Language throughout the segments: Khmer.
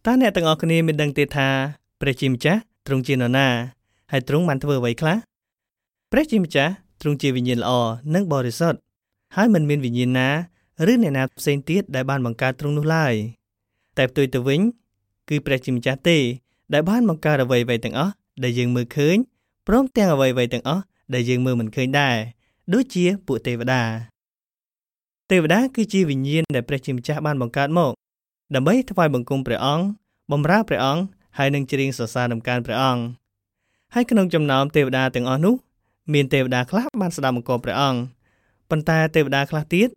តើអ្នកទាំងអស់គ្នាមានដឹងទេថាព្រះជាម្ចាស់ទ្រង់ជានរណាហើយទ្រង់បានធ្វើអ្វីខ្លះព្រះជាម្ចាស់ទ្រង់ជាវិញ្ញាណល្អនិងបរិសុទ្ធហើយមិនមានវិញ្ញាណណាឬអ្នកណាផ្សេងទៀតដែលបានបង្កើតទ្រង់នោះឡើយតែផ្ទុយទៅវិញគឺព្រះជាម្ចាស់ទេដែលបានបង្កើតអ្វីៗទាំងអស់ដែលយើងមើលឃើញព្រមទាំងអ្វីៗទាំងអស់ដែលយើងមើលមិនឃើញដែរដូចជាពួកទេវតាទេវតាគឺជាវិញ្ញាណដែលព្រះជាម្ចាស់បានបង្កើតមកដើម្បីថ្វាយបង្គំព្រះអង្គបម្រើព្រះអង្គហើយនឹងច្រៀងសរសើរតម្កើងព្រះអង្គហើយក្នុងចំណោមទេវតាទាំងអស់នោះមានទេវតាខ្លះបានស្ដាប់បង្គាប់ព្រះអង្គប៉ុន្តែទេវតាខ្លះទៀត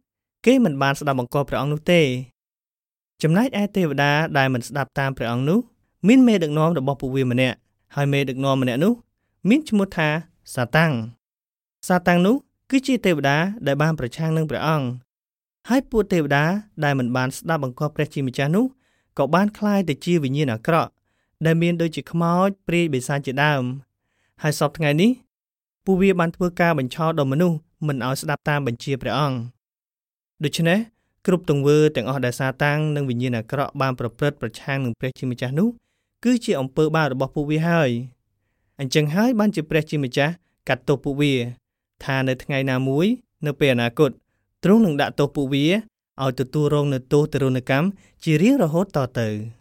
គេមិនបានស្ដាប់បង្គាប់ព្រះអង្គនោះទេចំណែកឯទេវតាដែលមិនស្ដាប់តាមព្រះអង្គនោះមានមេដឹកនាំរបស់ពួកវាម្នាក់ហើយមេដឹកនាំម្នាក់នោះមានឈ្មោះថាសាតាំងសាតាំងនោះគឺជាទេវតាដែលបានប្រឆាំងនឹងព្រះអង្គហើយពួកទេវតាដែលមិនបានស្ដាប់បង្គាប់ព្រះជាម្ចាស់នោះក៏បានក្លាយទៅជាវិញ្ញាណអាក្រក់ដែលមានដូចជាខ្មោចព្រាយបិសាចជាដើមហើយសព្វថ្ងៃនេះពួកវាបានធ្វើការបញ្ឆោតដល់មនុស្សមិនឲ្យស្ដាប់តាមបញ្ជាព្រះអង្គដូច្នេះគ្រប់ទង្វើទាំងអស់ដែលសាតាំងនិងវិញ្ញាណអាក្រក់បានប្រព្រឹត្តប្រឆាំងនឹងព្រះជាម្ចាស់នោះគឺជាអំពើបាបរបស់ពួកវាហើយអញ្ចឹងហើយបានជាព្រះជាម្ចាស់កាត់ទោសពួកវាថានៅថ្ងៃណាមួយនៅពេលអនាគតទ្រង់នឹងដាក់ទោសពួកវាឲ្យទទួលរងនូវទោសទារុណកម្មជារៀងរហូតតទៅ។